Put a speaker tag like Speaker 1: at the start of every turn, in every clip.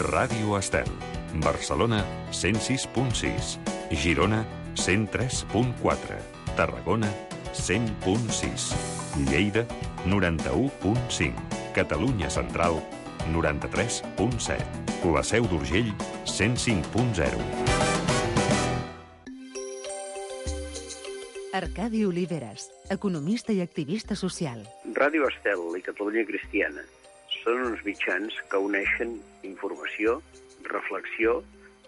Speaker 1: Ràdio Estel. Barcelona, 106.6. Girona, 103.4. Tarragona, 100.6. Lleida, 91.5. Catalunya Central, 93.7. La Seu d'Urgell, 105.0.
Speaker 2: Arcadi Oliveres, economista i activista social.
Speaker 3: Ràdio Estel i Catalunya Cristiana són uns mitjans que uneixen informació, reflexió,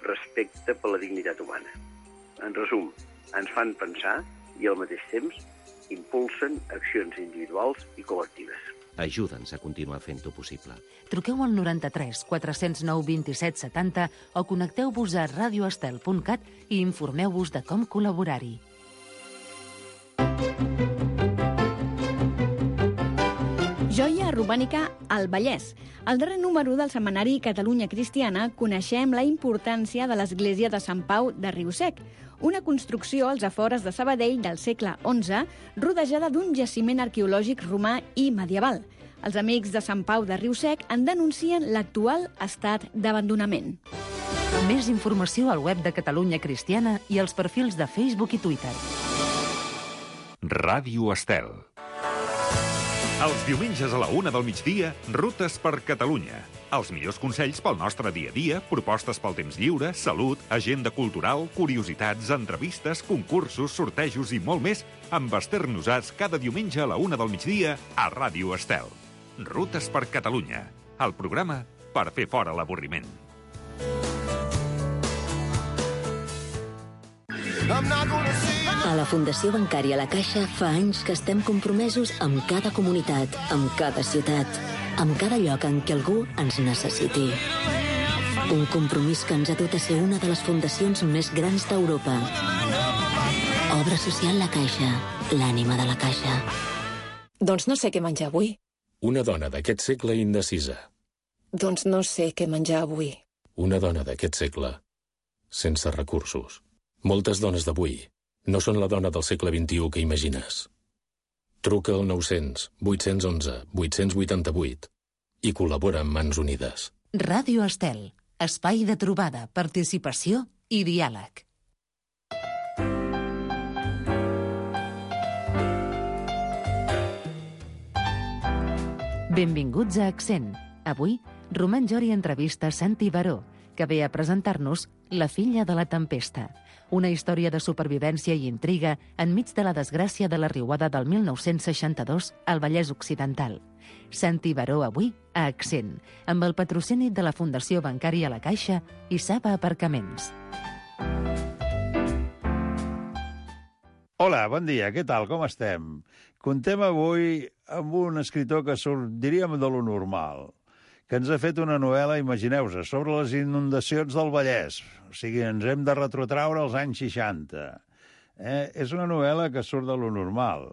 Speaker 3: respecte per la dignitat humana. En resum, ens fan pensar i al mateix temps impulsen accions individuals i col·lectives.
Speaker 4: Ajuda'ns a continuar fent-ho possible.
Speaker 2: Truqueu al 93 409 27 70 o connecteu-vos a radioestel.cat i informeu-vos de com col·laborar-hi.
Speaker 5: Joia romànica al Vallès. Al darrer número del setmanari Catalunya Cristiana coneixem la importància de l'església de Sant Pau de Riu-sec, una construcció als afores de Sabadell del segle XI, rodejada d'un jaciment arqueològic romà i medieval. Els amics de Sant Pau de Riu-sec en denuncien l'actual estat d'abandonament.
Speaker 2: Més informació al web de Catalunya Cristiana i als perfils de Facebook i Twitter.
Speaker 1: Ràdio Estel. Els diumenges a la 1 del migdia, Rutes per Catalunya. Els millors consells pel nostre dia a dia, propostes pel temps lliure, salut, agenda cultural, curiositats, entrevistes, concursos, sortejos i molt més amb Esther Nosats cada diumenge a la 1 del migdia a Ràdio Estel. Rutes per Catalunya, el programa per fer fora l'avorriment.
Speaker 6: A la Fundació Bancària La Caixa fa anys que estem compromesos amb cada comunitat, amb cada ciutat, amb cada lloc en què algú ens necessiti. Un compromís que ens ha dut a ser una de les fundacions més grans d'Europa. Obra social La Caixa, l'ànima de la Caixa.
Speaker 7: Doncs no sé què menjar avui.
Speaker 8: Una dona d'aquest segle indecisa.
Speaker 7: Doncs no sé què menjar avui.
Speaker 8: Una dona d'aquest segle sense recursos. Moltes dones d'avui no són la dona del segle XXI que imagines. Truca al 900 811 888 i col·labora amb Mans Unides.
Speaker 2: Ràdio Estel, espai de trobada, participació i diàleg. Benvinguts a Accent. Avui, Roman Jori entrevista Santi Baró, que ve a presentar-nos La filla de la tempesta, una història de supervivència i intriga enmig de la desgràcia de la riuada del 1962 al Vallès Occidental. Santi Baró avui a Accent, amb el patrocini de la Fundació Bancària La Caixa i Saba Aparcaments.
Speaker 9: Hola, bon dia, què tal, com estem? Contem avui amb un escritor que surt, diríem, de lo normal, que ens ha fet una novel·la, imagineu-vos, sobre les inundacions del Vallès. O sigui, ens hem de retrotraure als anys 60. És una novel·la que surt de lo normal.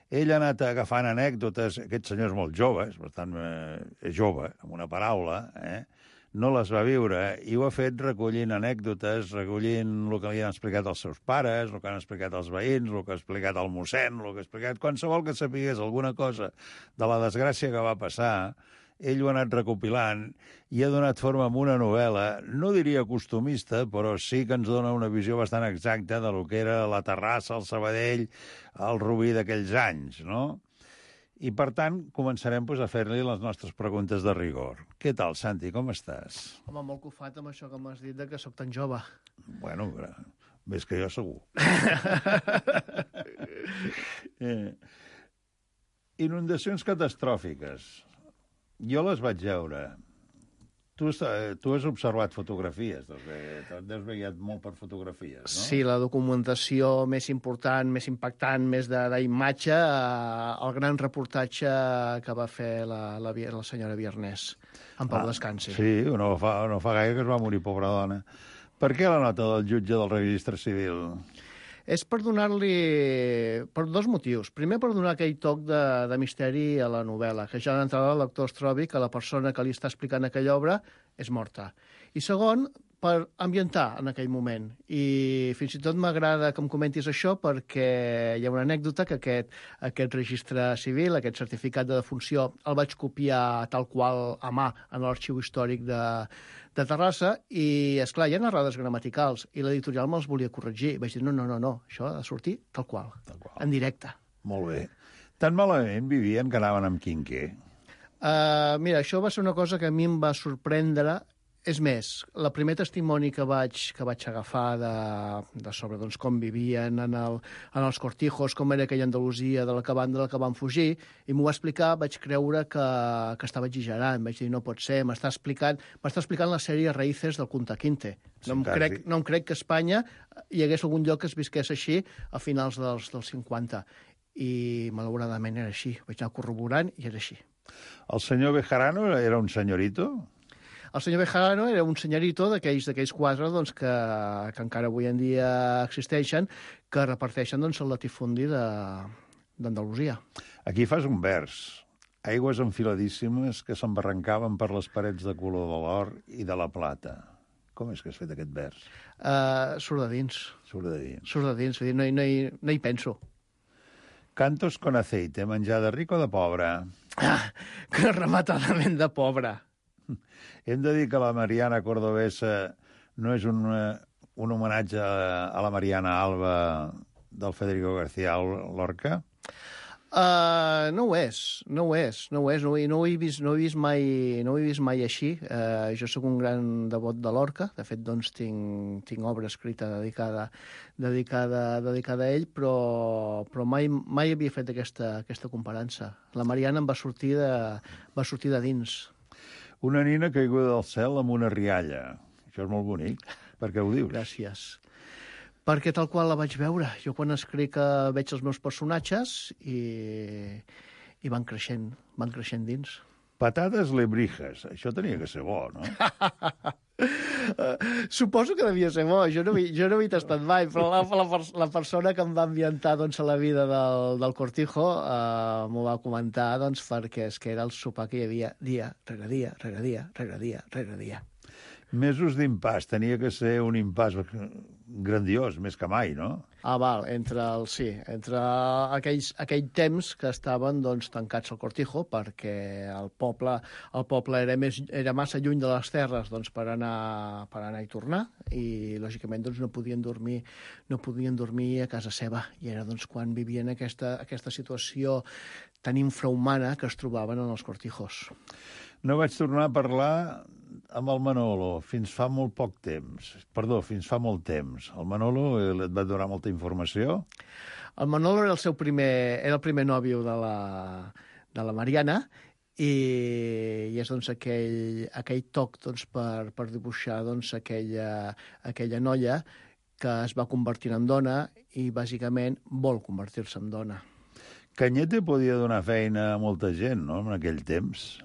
Speaker 9: Ell ha anat agafant anècdotes, aquest senyor és molt jove, per tant, és jove, amb una paraula, no les va viure, i ho ha fet recollint anècdotes, recollint el que li han explicat els seus pares, el que han explicat els veïns, el que ha explicat el mossèn, el que ha explicat qualsevol que sapigués alguna cosa de la desgràcia que va passar. Ell ho ha anat recopilant i ha donat forma a una novel·la, no diria costumista, però sí que ens dona una visió bastant exacta de lo que era la Terrassa, el Sabadell, el Rubí d'aquells anys, no? I, per tant, començarem a fer-li les nostres preguntes de rigor. Què tal, Santi, com estàs?
Speaker 10: Home, molt cofat amb això que m'has dit de que sóc tan jove.
Speaker 9: Bueno, més que jo segur. Inundacions catastròfiques. Jo les vaig veure. Tu has observat fotografies, t'has veient molt per fotografies, no?
Speaker 10: Sí, la documentació més important, més impactant, més d'imatge, el gran reportatge que va fer la senyora Viernès, en Pau Descansi.
Speaker 9: Sí, no fa gaire que es va morir, pobra dona. Per què la nota del jutge del registre civil?
Speaker 10: És per donar-li... per dos motius. Primer, per donar aquell toc de misteri a la novel·la, que ja d'entrada el lector es trobi que la persona que li està explicant aquella obra és morta. I segon, per ambientar en aquell moment. I fins i tot m'agrada que em comentis això perquè hi ha una anècdota que aquest registre civil, aquest certificat de defunció, el vaig copiar tal qual a mà en l'arxiu històric de Terrassa i, esclar, hi ha errades gramaticals i l'editorial me'ls volia corregir. Vaig dir, no, això ha de sortir tal qual. En directe.
Speaker 9: Molt bé. Tan malament vivien que anaven amb quinquer.
Speaker 10: Mira, això va ser una cosa que a mi em va sorprendre. És més, el primer testimoni que vaig agafar de sobre doncs, com vivien en els cortijos, com era aquella Andalusia de la que van fugir, i m'ho va explicar, vaig creure que estava exagerant. Vaig dir, no pot ser, m'està explicant la sèrie Raíces del Kunta Kinte. No em crec que a Espanya hi hagués algun lloc que es visqués així a finals dels 50. I, malauradament, era així. Vaig anar corroborant i era així.
Speaker 9: El senyor Bejarano era un senyorito?
Speaker 10: El senyor Bejarano era un senyorito d'aquells quatre doncs, que encara avui en dia existeixen, que reparteixen doncs, el latifundi d'Andalusia.
Speaker 9: Aquí fas un vers. Aigües enfiladíssimes que s'embarrancaven per les parets de color de l'or i de la plata. Com és que has fet aquest vers?
Speaker 10: Surt de dins.
Speaker 9: Surt de dins.
Speaker 10: Surt de dins, no hi penso.
Speaker 9: Cantos con aceite, menjar de ric o de pobre?
Speaker 10: Que rematadament de pobre.
Speaker 9: Hem de dir que la Mariana Cordobesa no és un homenatge a la Mariana Alba del Federico García Lorca?
Speaker 10: No ho és. No ho he vist mai així. Jo sóc un gran devot de Lorca. De fet, doncs, tinc obra escrita dedicada a ell, però mai havia fet aquesta comparança. La Mariana em va sortir de dins.
Speaker 9: Una nina caiguda del cel amb una rialla. Això és molt bonic. Per què ho dius?
Speaker 10: Gràcies. Perquè tal qual la vaig veure. Jo quan escric veig els meus personatges i van creixent dins.
Speaker 9: Patates lebrijes. Això tenia que ser bo, no?
Speaker 10: Suposo que devia ser bo. Jo no he tastat mai, però la persona que em va ambientar doncs, a la vida del Cortijo m'ho va comentar doncs, perquè és que era el sopar que hi havia dia rere dia, rere dia, rere dia, rere dia.
Speaker 9: Mesos d'impàs. Tenia que ser un impàs grandiós, més que mai, no?
Speaker 10: Val, entre aquell temps que estaven doncs, tancats al Cortijo, perquè el poble era massa lluny de les terres doncs, per anar i tornar, i lògicament doncs, no podien dormir a casa seva, i era doncs, quan vivien aquesta situació tan infrahumana que es trobaven en els Cortijos.
Speaker 9: No vaig tornar a parlar amb el Manolo fins fa molt temps. El Manolo et va donar molta informació?
Speaker 10: El Manolo era el primer nòvio de la Mariana i és doncs, aquell toc doncs, per dibuixar doncs, aquella noia que es va convertir en dona i bàsicament vol convertir-se en dona.
Speaker 9: Cañete podia donar feina a molta gent, no?, en aquell temps.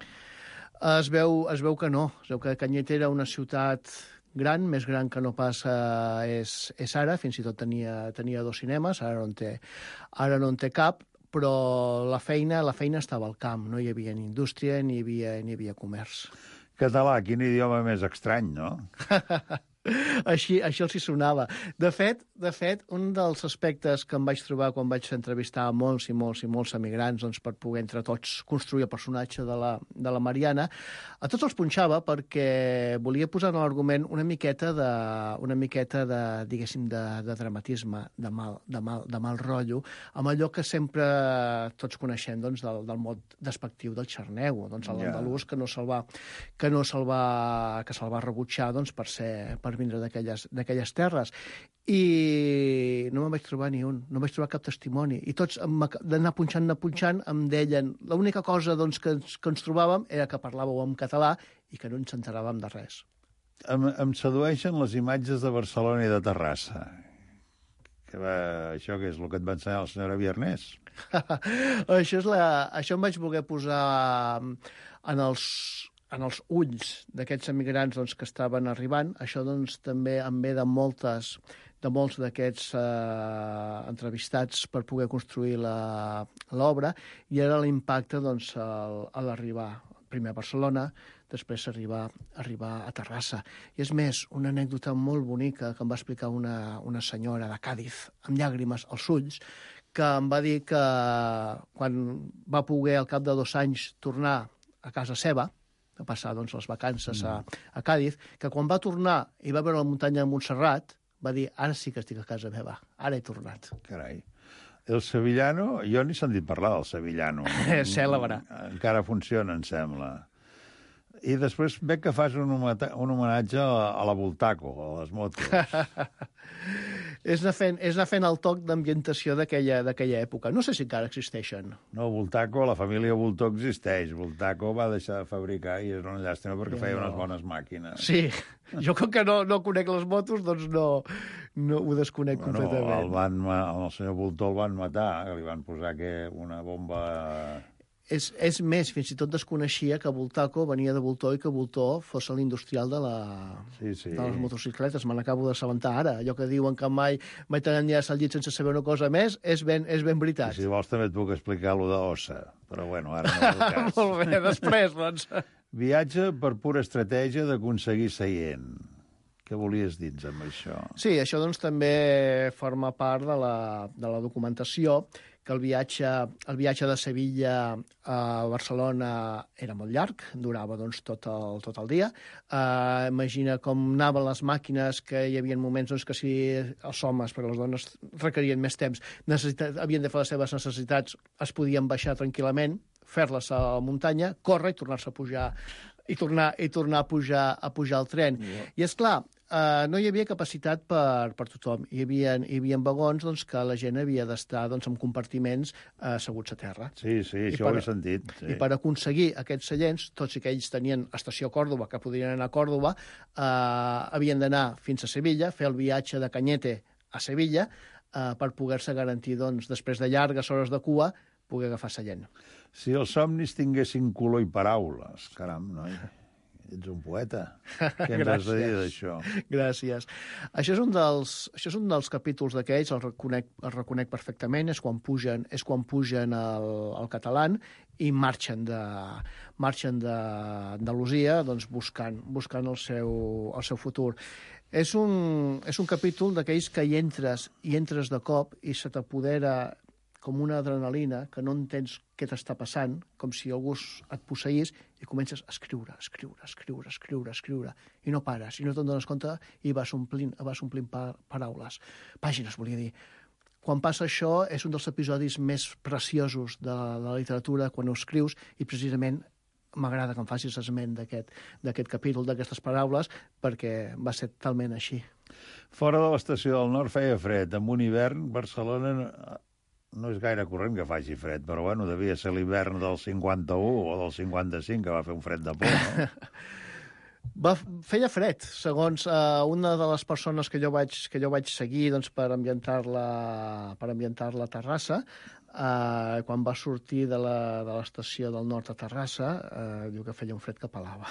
Speaker 10: Es veu que no. Es veu que Cañete era una ciutat gran, més gran que no pas és ara, fins i tot tenia 2 cinemes, ara no en té cap, però la feina estava al camp, no hi havia ni indústria ni hi havia comerç.
Speaker 9: Català, quin idioma més estrany, no?
Speaker 10: Així els hi sonava. De fet, un dels aspectes que em vaig trobar quan vaig entrevistar molts emigrants doncs, per poder entre tots construir el personatge de la Mariana, a tots els punxava perquè volia posar en l'argument una miqueta de diguéssim, de dramatisme, de mal rotllo, amb allò que sempre tots coneixem doncs, del mot despectiu del xarnego, doncs, l'andalús que se'l va rebutjar doncs, per vindre d'aquelles terres. I no me'n vaig trobar ni un, no vaig trobar cap testimoni. I tots, d'anar punxant, em deien l'única cosa doncs, que ens trobàvem era que parlàveu en català i que no ens enteràvem de res.
Speaker 9: Em sedueixen les imatges de Barcelona i de Terrassa. Això què és el que et va ensenyar la senyora Viernès?
Speaker 10: Això em vaig voler posar en els ulls d'aquests emigrants doncs, que estaven arribant. Això doncs, també em ve de molts d'aquests entrevistats per poder construir l'obra, i era l'impacte doncs, a l'arribar primer a Barcelona, després arribar a Terrassa. I és més, una anècdota molt bonica que em va explicar una senyora de Càdiz, amb llàgrimes als ulls, que em va dir que quan va poder, al cap de 2 anys, tornar a casa seva, a passar doncs, les vacances a Càdiz, que quan va tornar i va veure la muntanya de Montserrat, va dir, ara sí que estic a casa meva, ara he tornat.
Speaker 9: Carai. El Sevillano, jo ni he sentit parlar del Sevillano.
Speaker 10: Cèlebre.
Speaker 9: Encara funciona, em sembla. I després veig que fas un homenatge a la Bultaco, a les motos.
Speaker 10: És anar fent el toc d'ambientació d'aquella època. No sé si encara existeixen.
Speaker 9: No, Bultaco, la família Bultó existeix. Bultaco va deixar de fabricar i és una llàstima perquè feia unes bones màquines.
Speaker 10: Sí, jo com que no conec les motos, doncs no ho desconec completament.
Speaker 9: El senyor Bultó el van matar, li van posar una bomba...
Speaker 10: És més, fins i tot desconeixia que Bultaco venia de Bultó i que Bultó fos l'industrial de les motocicletes. Me n'acabo d'assabentar ara. Allò que diuen que mai t'enllaça al llit sense saber una cosa més és ben veritat.
Speaker 9: I si vols també et puc explicar allò d'Ossa, però bueno, ara no és el cas.
Speaker 10: Molt bé, després, doncs.
Speaker 9: Viatge per pura estratègia d'aconseguir seient. Què volies dir amb això?
Speaker 10: Sí, això doncs també forma part de la documentació, que el viatge de Sevilla a Barcelona era molt llarg, durava doncs, tot el dia. Imagina com anaven les màquines, que hi havia moments doncs, que si els homes, perquè les dones requerien més temps, havien de fer les seves necessitats, es podien baixar tranquil·lament, fer-les a la muntanya, córrer i tornar-se a pujar i tornar a pujar al tren. I és clar, no hi havia capacitat per tothom. Hi havia vagons doncs, que la gent havia d'estar doncs, en compartiments asseguts a terra.
Speaker 9: Sí, això ho he sentit. Sí.
Speaker 10: I per aconseguir aquests seients, tots i que ells tenien estació a Còrdova, que podien anar a Còrdova, havien d'anar fins a Sevilla, fer el viatge de Cañete a Sevilla, per poder-se garantir, doncs, després de llargues hores de cua, poder agafar seient.
Speaker 9: Si els somnis tinguessin color i paraules, caram, noi, ets un poeta. Què ens has de dir d'això?
Speaker 10: Gràcies. Això és un dels capítols d'aquells, el reconec perfectament, és quan pugen al català i marxen d'Andalusia doncs, buscant el seu futur. És un capítol d'aquells que hi entres de cop i se t'apodera com una adrenalina, que no entens què t'està passant, com si algú et posseís, i comences a escriure, i no pares, i no te'n dones compte, i vas omplint paraules. Pàgines, volia dir. Quan passa això, és un dels episodis més preciosos de la literatura, quan ho escrius, i precisament m'agrada que em facis esment d'aquest capítol, d'aquestes paraules, perquè va ser talment així.
Speaker 9: Fora de l'estació del Nord feia fred. En un hivern, Barcelona no és gaire corrent que faci fred, però bueno, devia ser l'hivern del 51 o del 55, que va fer un fred de por, no?
Speaker 10: Feia fred, segons una de les persones que jo vaig seguir doncs, per ambientar-la a Terrassa. Quan va sortir de l'estació del Nord a Terrassa, diu que feia un fred que pelava.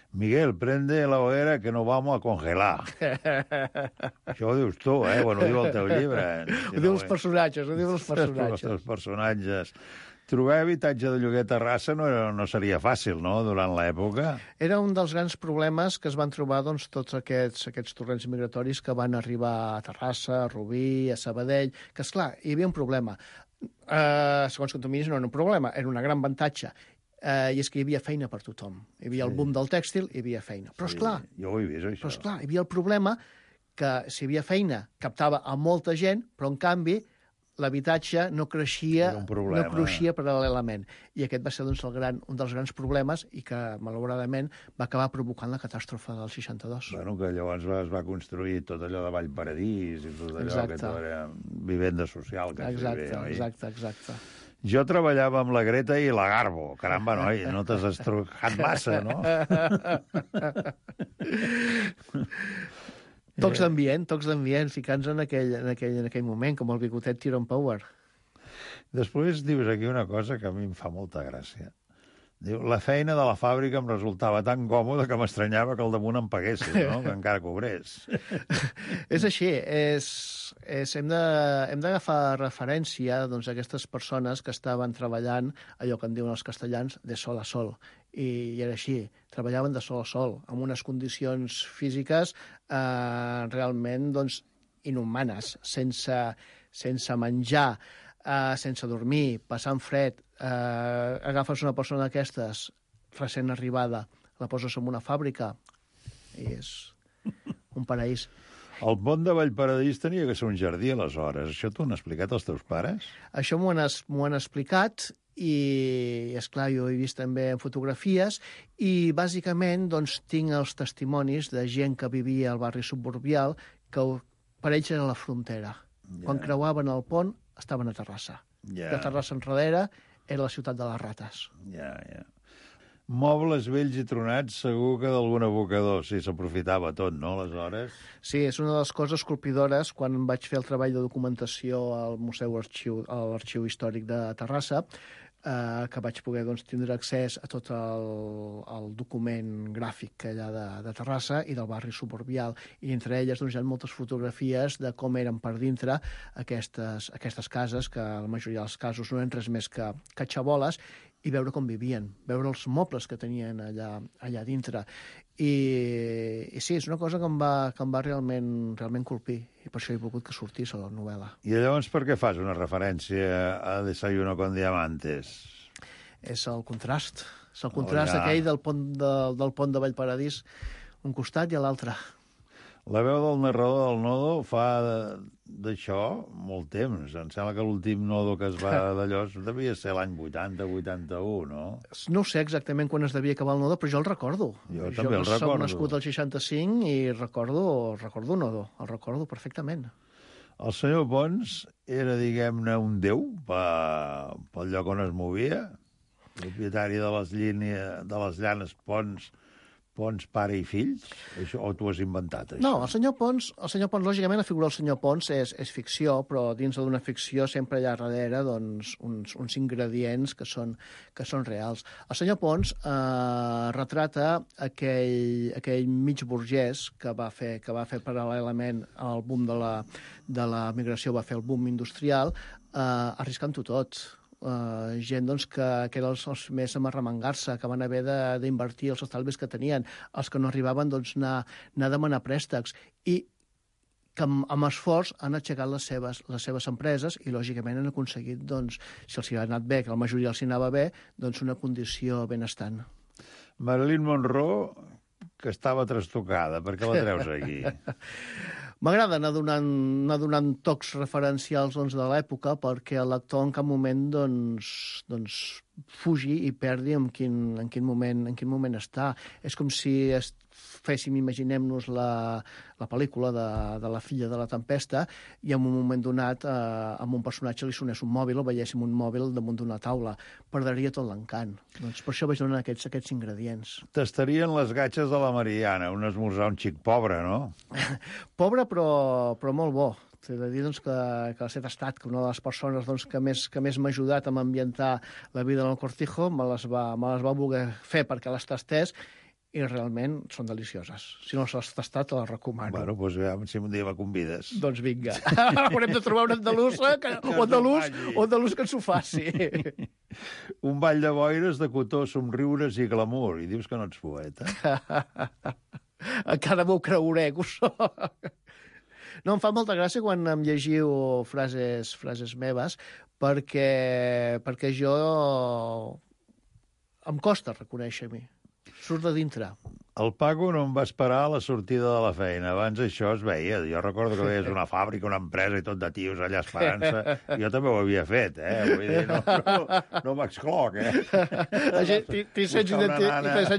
Speaker 9: Miguel, prende la hoguera que no vamos a congelar. Això ho dius tu, Bueno, ho diu el teu llibre.
Speaker 10: Ho diu els personatges,
Speaker 9: Els personatges. Trobar habitatge de lloguer a Terrassa no seria fàcil, no?, durant l'època.
Speaker 10: Era un dels grans problemes que es van trobar doncs, tots aquests torrents migratoris que van arribar a Terrassa, a Rubí, a Sabadell, que, esclar, hi havia un problema. Segons com tu miris, no era un problema, era un gran avantatge. I és que hi havia feina per tothom. Hi havia el boom del tèxtil, hi havia feina. Però, esclar,
Speaker 9: jo ho he vist, això.
Speaker 10: Però, esclar, hi havia el problema que si hi havia feina captava a molta gent, però, en canvi, l'habitatge no creixia paral·lelament. I aquest va ser doncs, un dels grans problemes i que, malauradament, va acabar provocant la catàstrofe del 62.
Speaker 9: Bueno, que llavors es va construir tot allò de Vallparadís i tot allò que tot era vivenda social.
Speaker 10: Exacte.
Speaker 9: Jo treballava amb la Greta i la Garbo. Caramba, noi, no t'has estrucat massa, no?
Speaker 10: Tocs d'ambient, ficant-nos en aquell moment, com el bigotet Tyrone Power.
Speaker 9: Després dius aquí una cosa que a mi em fa molta gràcia. Diu, la feina de la fàbrica em resultava tan còmoda que m'estranyava que al damunt em paguessin, no? Que encara cobrés.
Speaker 10: És així, hem d'agafar referència doncs, a aquestes persones que estaven treballant, allò que en diuen els castellans, de sol a sol. I era així, treballaven de sol a sol, amb unes condicions físiques realment doncs, inhumanes, sense menjar, sense dormir, passant fred. Agafes una persona d'aquestes recent arribada, la poses en una fàbrica i és un paraís.
Speaker 9: El pont de Vallparadís tenia que ser un jardí, aleshores. Això t'ho han explicat els teus pares?
Speaker 10: Això m'ho han explicat i, esclar, jo he vist també en fotografies i, bàsicament, doncs, tinc els testimonis de gent que vivia al barri suburbial que per ells era la frontera. Quan creuaven el pont, estaven a Terrassa. De Terrassa enrere era la ciutat de les rates.
Speaker 9: Mobles vells i tronats, segur que d'algun abocador, sí, s'aprofitava tot, no, aleshores?
Speaker 10: Sí, és una de les coses colpidores quan vaig fer el treball de documentació al a l'Arxiu Històric de Terrassa, que vaig poder doncs, tindre accés a tot el document gràfic allà de Terrassa i del barri suburbial. I entre elles doncs, hi ha moltes fotografies de com eren per dintre aquestes cases, que la majoria dels casos no eren res més que xaboles, i veure com vivien, veure els mobles que tenien allà dintre. I sí, és una cosa que em va realment colpir, i per això he volgut que sortís a la novel·la.
Speaker 9: I llavors per què fas una referència a Desayuno con Diamantes?
Speaker 10: És el contrast. És el contrast aquell del pont de Vallparadís, un costat i a l'altre.
Speaker 9: La veu del narrador del Nodo fa d'això molt temps. Em sembla que l'últim Nodo que es va d'allò devia ser l'any 80-81, no?
Speaker 10: No sé exactament quan es devia acabar el Nodo, però jo el recordo.
Speaker 9: Jo també el recordo.
Speaker 10: Soc nascut al 65 i recordo Nodo, el recordo perfectament.
Speaker 9: El senyor Pons era, diguem-ne, un déu pel lloc on es movia, propietari de les llanes Pons, pare i fills? O t'ho has inventat, això?
Speaker 10: No, el senyor Pons, lògicament, la figura del senyor Pons és ficció, però dins d'una ficció sempre hi ha darrere doncs, uns ingredients que són reals. El senyor Pons retrata aquell mig burgès que va fer paral·lelament al boom de la migració, va fer el boom industrial, arriscant-ho tot. Gent doncs, que eren els més a arremangar-se, que van haver d'invertir els estalvis que tenien, els que no arribaven doncs, anar a demanar préstecs, i que amb esforç han aixecat les seves empreses i, lògicament, han aconseguit, doncs, si els hi ha anat bé, que la majoria els hi anava bé, doncs una condició benestant.
Speaker 9: Marilyn Monroe, que estava trastocada, per què la treus aquí?
Speaker 10: M'agrada anar donant tocs referencials doncs, de l'època perquè el lector en cap moment doncs, fugi i perdi en quin moment està. És com si imaginem-nos la pel·lícula de la filla de la tempesta i en un moment donat a un personatge li sonés un mòbil o veiéssim un mòbil damunt d'una taula. Perdria tot l'encant. Doncs per això vaig donar aquests ingredients.
Speaker 9: T'estarien les gatxes de la Mariana, un esmorzar un xic pobre, no?
Speaker 10: Pobre, però molt bo. T'he de dir doncs, que l'Acet Estat, que una de les persones doncs, que més m'ha ajudat a ambientar la vida en el Cortijo, me les va voler fer perquè les tastés i realment són delicioses. Si no les has tastat, te les recomano.
Speaker 9: Bueno, doncs si un dia me convides.
Speaker 10: Doncs vinga. Haurem de trobar un andalús que ens ho faci.
Speaker 9: Un ball de boires, de cotó, somriures i glamour. I dius que no ets poeta?
Speaker 10: Encara m'ho creuré, que ho soc. No, em fa molta gràcia quan em llegiu frases meves, perquè jo em costa reconèixer-m'hi. Surt de dintre.
Speaker 9: El Paco no em va esperar a la sortida de la feina. Abans això es veia. Jo recordo que veies una fàbrica, una empresa i tot de tios allà esperant-se. Jo també ho havia fet, Vull dir, no m'excloc,
Speaker 10: T'hi sents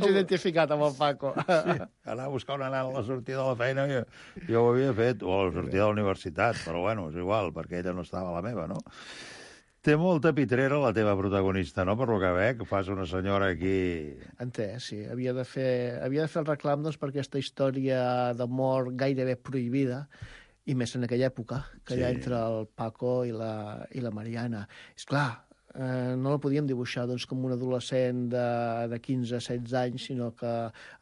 Speaker 10: identificat amb el Paco.
Speaker 9: Sí, anar a buscar una nana a la sortida de la feina, jo ho havia fet, o a la sortida de la universitat, però bueno, és igual, perquè ella no estava a la meva, no? Té molta pitrera la teva protagonista, no?, per lo que veig, que fas una senyora aquí...
Speaker 10: En té, sí. Havia de fer el reclam doncs, per aquesta història d'amor gairebé prohibida, i més en aquella època, que hi ha entre el Paco i la Mariana. És clar, no la podíem dibuixar doncs, com un adolescent de 15-16 anys, sinó que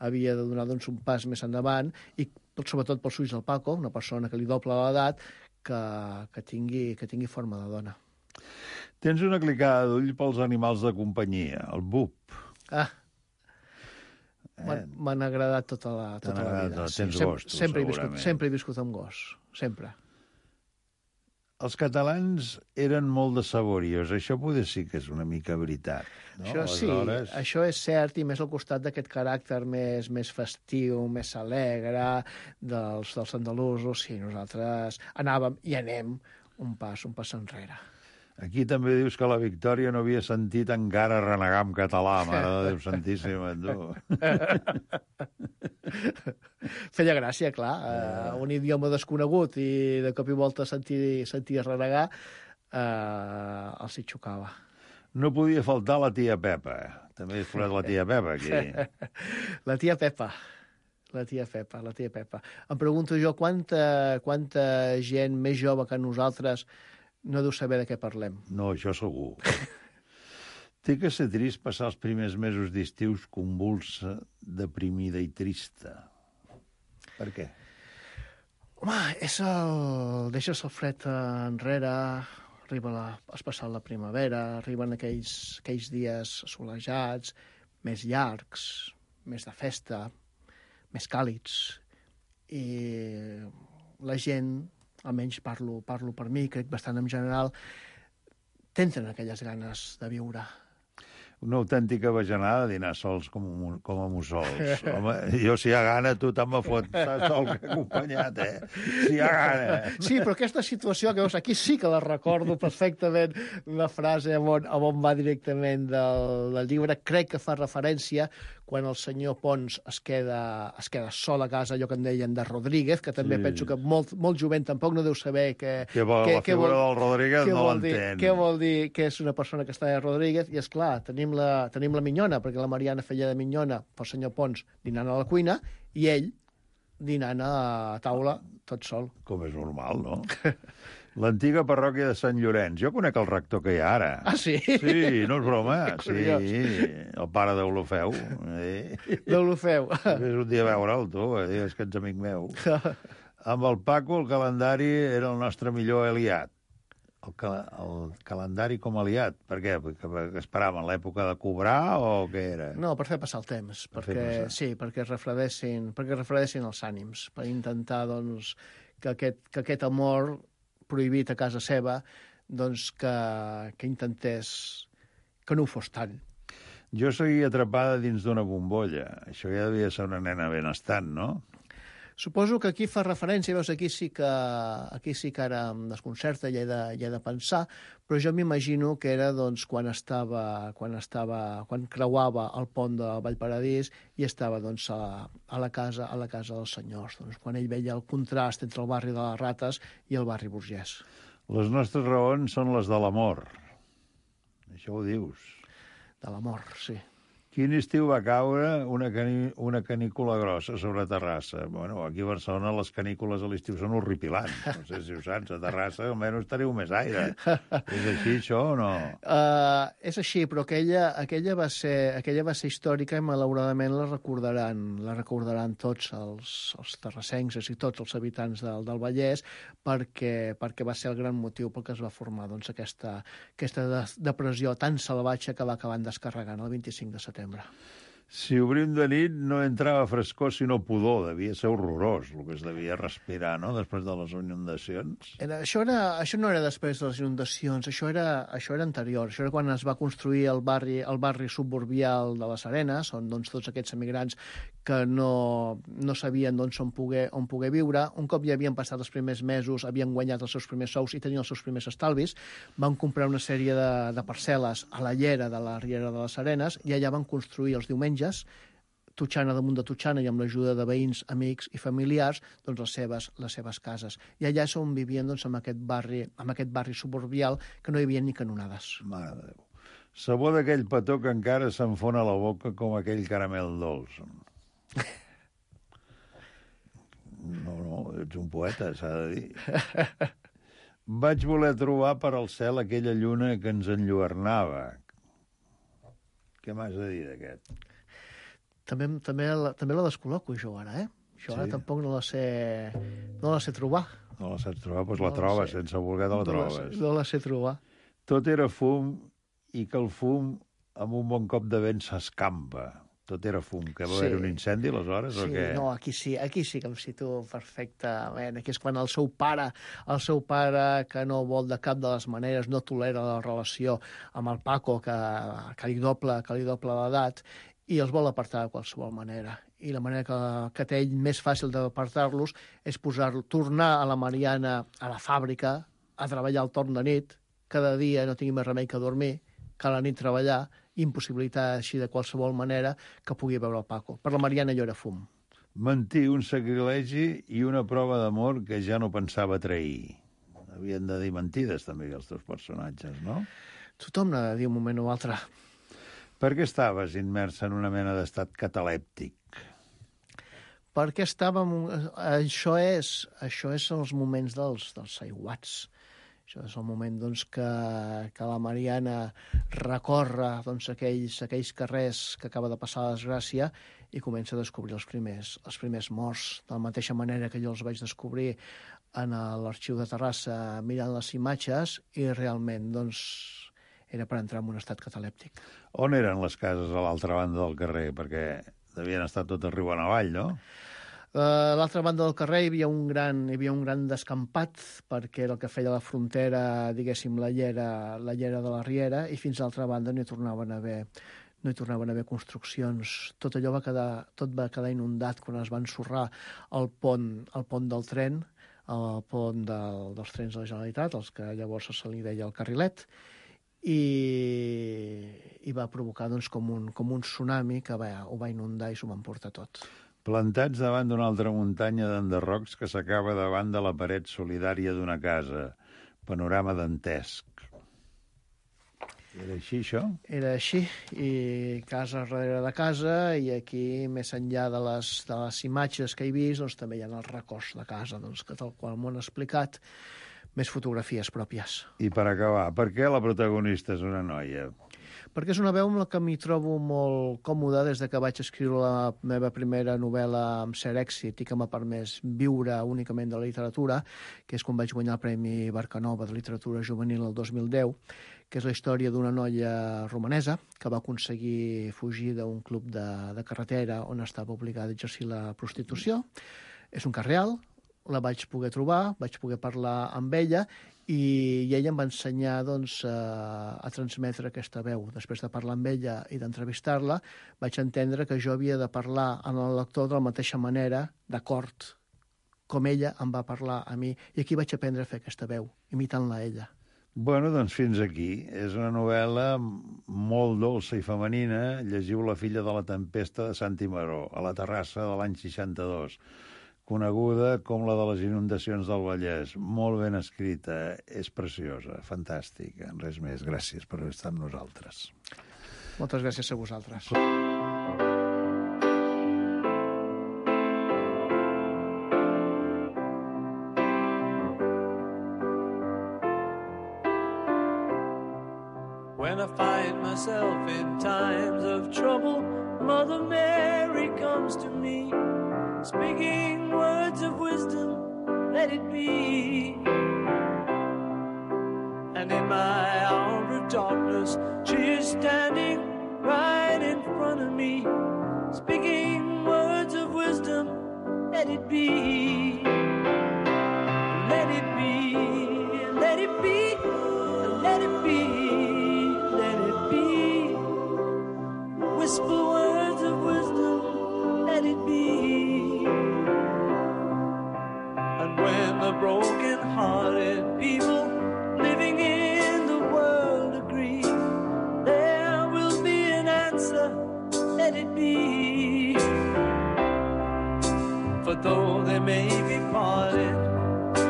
Speaker 10: havia de donar doncs, un pas més endavant, i sobretot pels ulls del Paco, una persona que li dobla l'edat, que tingui forma de dona.
Speaker 9: Tens una clicada d'ull pels animals de companyia, el BUP.
Speaker 10: M'han agradat tota la vida.
Speaker 9: Tens gos, tu, segurament.
Speaker 10: Sempre he viscut amb gos, sempre.
Speaker 9: Els catalans eren molt de saborios. Això potser sí que és una mica veritat. No?
Speaker 10: Això sí, això és cert, i més al costat d'aquest caràcter més festiu, més alegre dels andalusos. Sí, nosaltres anàvem i anem un pas enrere.
Speaker 9: Aquí també dius que la Victòria no havia sentit encara renegar en català, mare de Déu santíssima, tu.
Speaker 10: Feia gràcia, clar, un idioma desconegut i de cop i volta sentir renegar, els hi xocava.
Speaker 9: No podia faltar la tia Pepa. També has posat la tia Pepa, aquí.
Speaker 10: La tia Pepa. Em pregunto jo quanta gent més jove que nosaltres no deu saber de què parlem.
Speaker 9: No, això segur. Té que ser trist passar els primers mesos d'estius convulsa, deprimida i trista. Per què?
Speaker 10: Home, deixes el fred enrere, arriba especial la primavera, arriben aquells dies assolejats, més llargs, més de festa, més càlids, i la gent, almenys parlo per mi, crec bastant en general, tenen aquelles ganes de viure.
Speaker 9: Una autèntica bajanada dinar sols com a mussols. Home, jo si hi ha gana, tu te'n me fots sol que acompanyat, Si hi ha gana.
Speaker 10: Sí, però aquesta situació que veus aquí sí que la recordo perfectament, la frase on va directament del llibre. Crec que fa referència quan el senyor Pons es queda sol a casa, allò que en deien de Rodríguez, que també penso que molt jovent tampoc no deu saber
Speaker 9: la figura del Rodríguez no l'entén.
Speaker 10: Què vol dir que és una persona que està de Rodríguez? I, esclar, tenim la minyona, perquè la Mariana feia de minyona pel senyor Pons dinant a la cuina i ell dinant a taula tot sol.
Speaker 9: Com és normal, no? L'antiga parròquia de Sant Llorenç. Jo conec el rector que hi ha ara.
Speaker 10: Ah, sí?
Speaker 9: Sí, no és broma. Sí, el pare d'Olofeu.
Speaker 10: D'Olofeu.
Speaker 9: Vés un dia a veure'l, tu, és que ets amic meu. Amb el Paco, el calendari era el nostre millor aliat. El calendari com a aliat. Per què? Perquè esperaven l'època de cobrar o què era?
Speaker 10: No, per fer passar el temps. Perquè refredessin els ànims, per intentar doncs, que aquest amor prohibit a casa seva, doncs que intentés que no ho fos tant.
Speaker 9: Jo seguia atrapada dins d'una bombolla. Això ja devia ser una nena benestant, no?
Speaker 10: Suposo que aquí fa referència, veus, aquí sí que ara em desconcerta i he de pensar, però jo m'imagino que era doncs, quan creuava el pont de Vallparadís i estava doncs, a la casa dels senyors, doncs, quan ell veia el contrast entre el barri de les Rates i el barri burgès.
Speaker 9: Les nostres raons són les de l'amor. Això ho dius.
Speaker 10: De l'amor, sí.
Speaker 9: Quin estiu va caure una canícula grossa sobre Terrassa? Bueno, aquí a Barcelona les canícules a l'estiu són horripilants. No sé si ho saps, a Terrassa almenys teniu més aire. És així, això, o no?
Speaker 10: És així, però aquella va ser històrica i malauradament la recordaran tots els terrassencs i tots els habitants del Vallès perquè va ser el gran motiu pel que es va formar doncs, aquesta depressió tan salvatge que va acabar descarregant el 25 de setembre.
Speaker 9: Si obrim de nit no entrava frescor sinó pudor, devia ser horrorós el que es devia respirar, no?, després de les inundacions.
Speaker 10: Això no era després de les inundacions, això era anterior, això era quan es va construir el barri suburbial de les Arenes, on doncs, tots aquests emigrants que no sabien doncs, on poder viure, un cop ja havien passat els primers mesos, havien guanyat els seus primers sous i tenien els seus primers estalvis, van comprar una sèrie de parcel·les a la llera de la Riera de les Arenes i allà van construir els diumenges, totxana damunt de totxana i amb l'ajuda de veïns, amics i familiars, doncs les seves cases. I allà és on vivien doncs, amb aquest barri suburbial que no hi havia ni canonades.
Speaker 9: Mare de Déu. Sabor d'aquell petó que encara s'enfona a la boca com aquell caramel dolç. No, ets un poeta, s'ha de dir. Vaig voler trobar per al cel aquella lluna que ens enlluernava. Què m'has de dir d'aquest?
Speaker 10: També la descol·loco, jo, ara, Això ara tampoc no la sé trobar.
Speaker 9: No la saps trobar? Doncs la trobes, sense voler te la trobes.
Speaker 10: No la sé trobar.
Speaker 9: Tot era fum i que el fum amb un bon cop de vent s'escampa. Tot era fum. Que va haver un incendi, aleshores, o què?
Speaker 10: No, aquí sí que em situo perfectament. Aquí és quan el seu pare, que no vol de cap de les maneres, no tolera la relació amb el Paco, que li doble l'edat, i els vol apartar de qualsevol manera. I la manera que té ell més fàcil d'apartar-los és tornar a la Mariana a la fàbrica a treballar al torn de nit, cada dia no tingui més remei que dormir, que a la nit treballar, i impossibilitar així de qualsevol manera que pugui veure el Paco. Per la Mariana allò era fum.
Speaker 9: Mentir, un sacrilegi i una prova d'amor que ja no pensava trair. Havien de dir mentides, també, els teus personatges, no?
Speaker 10: Tothom n'ha de dir un moment o altre.
Speaker 9: Per què estaves immersa en una mena d'estat catalèptic?
Speaker 10: Perquè estàvem... Això és els moments dels aiguats. Això és el moment que la Mariana recorre aquells carrers que acaba de passar la desgràcia i comença a descobrir els primers morts, de la mateixa manera que jo els vaig descobrir en l'arxiu de Terrassa mirant les imatges, i realment era per entrar en un estat catalèptic.
Speaker 9: On eren les cases a l'altra banda del carrer? Perquè devien estar tot riu avall, no?
Speaker 10: A l'altra banda del carrer hi havia un gran descampat, perquè era el que feia la frontera, diguéssim, la llera de la Riera, i fins a l'altra banda no hi tornaven a haver construccions. Tot allò va quedar inundat quan es va ensorrar el pont del tren, el pont dels trens de la Generalitat, els que llavors se li deia el carrilet, i va provocar com un tsunami que ho va inundar i s'ho va emportar tot.
Speaker 9: Plantats davant d'una altra muntanya d'enderrocs que s'acaba davant de la paret solidària d'una casa. Panorama dantesc. Era així, això?
Speaker 10: Era així, i casa darrere de casa, i aquí, més enllà de les imatges que he vist, també hi ha els records de casa, que tal qual m'ho han explicat, més fotografies pròpies.
Speaker 9: I per acabar, per què la protagonista és una noia?
Speaker 10: Perquè és una veu amb la que m'hi trobo molt còmoda des que vaig escriure la meva primera novel·la amb cert èxit i que m'ha permès viure únicament de la literatura, que és quan vaig guanyar el Premi Barcanova de Literatura Juvenil el 2010, que és la història d'una noia romanesa que va aconseguir fugir d'un club de carretera on estava obligada a exercir la prostitució. És un cas real, la vaig poder trobar, vaig poder parlar amb ella, i ella em va ensenyar a transmetre aquesta veu. Després de parlar amb ella i d'entrevistar-la, vaig entendre que jo havia de parlar amb el lector de la mateixa manera, d'acord, com ella em va parlar a mi. I aquí vaig aprendre a fer aquesta veu, imitant-la a ella.
Speaker 9: Bueno, doncs fins aquí. És una novel·la molt dolça i femenina. Llegiu La filla de la tempesta de Santi Maró, a la Terrassa de l'any 62. Coneguda com la de les inundacions del Vallès. Molt ben escrita, és preciosa, fantàstica. Res més, gràcies per estar amb nosaltres.
Speaker 10: Moltes gràcies a vosaltres.
Speaker 11: When I find myself in times of trouble, Mother Mary comes to me, speaking words of wisdom, let it be. And in my hour of darkness, she is standing right in front of me, speaking words of wisdom, let it be. Let it be, let it be, let it be, let it be. Whisper words of wisdom, let it be. When the broken-hearted people living in the world agree, there will be an answer, let it be. For though they may be parted,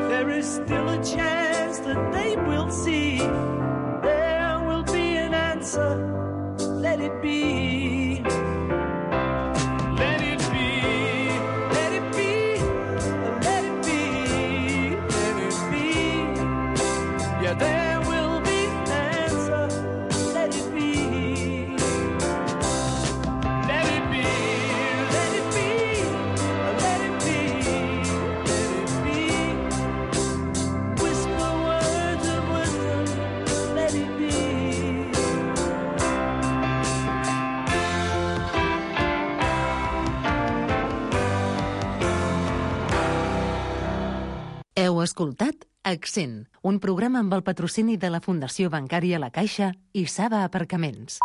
Speaker 11: there is still a chance that they will see. There will be an answer, let it be.
Speaker 2: Heu escoltat Accent, un programa amb el patrocini de la Fundació Bancària La Caixa i Saba Aparcaments.